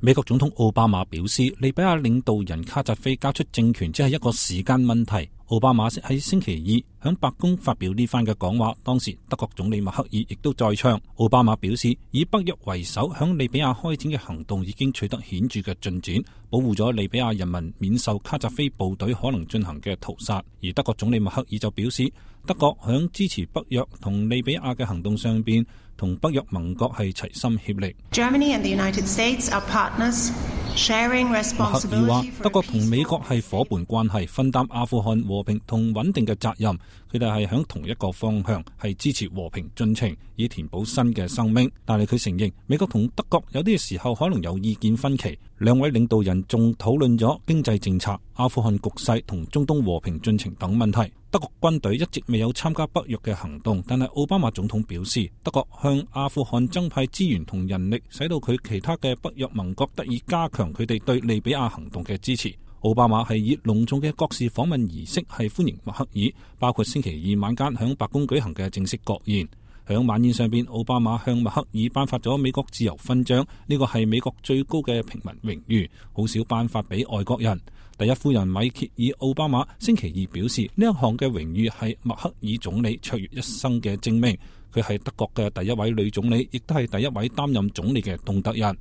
美國總統奧巴馬表示，利比亞領導人卡扎菲交出政權只係一個時間問題。奧巴馬喺星期二響白宮發表呢番嘅講話，當時德國總理默克爾亦都在場。奧巴馬表示，以北約為首響利比亞開展嘅行動已經取得顯著嘅進展，保護咗利比亞人民免受卡扎菲部隊可能進行嘅屠殺。而德國總理默克爾就表示，德國響支持北約同利比亞嘅行動上邊，同北約盟國係齊心協力。Germany and the United States are partners, sharing responsibility. 默克爾話，德國同美國係夥伴關係，分擔阿富汗和平同穩定嘅責任。佢哋係響同一個方向，係支持和平進程，以填補新嘅生命。但係佢承認，美國同德國有啲時候可能有意見分歧。兩位領導人仲討論咗經濟政策、阿富汗局勢同中東和平進程等問題。德國軍隊一直未有參加北約嘅行動，但係奧巴馬總統表示，德國向阿富汗增派資源同人力，使到佢其他嘅北約盟國得以加強佢哋對利比亞行動嘅支持。奧巴馬係以隆重嘅國事訪問儀式係歡迎默克爾，包括星期二晚間響白宮舉行嘅正式國宴。響晚宴上邊，奧巴馬向默克爾頒發咗美國自由勳章，呢個係美國最高嘅平民榮譽，好少頒發俾外國人。第一夫人米歇爾·奧巴馬星期二表示，呢一項嘅榮譽係默克爾總理卓越一生嘅證明。佢係德國嘅第一位女總理，亦都係第一位擔任總理嘅東德人。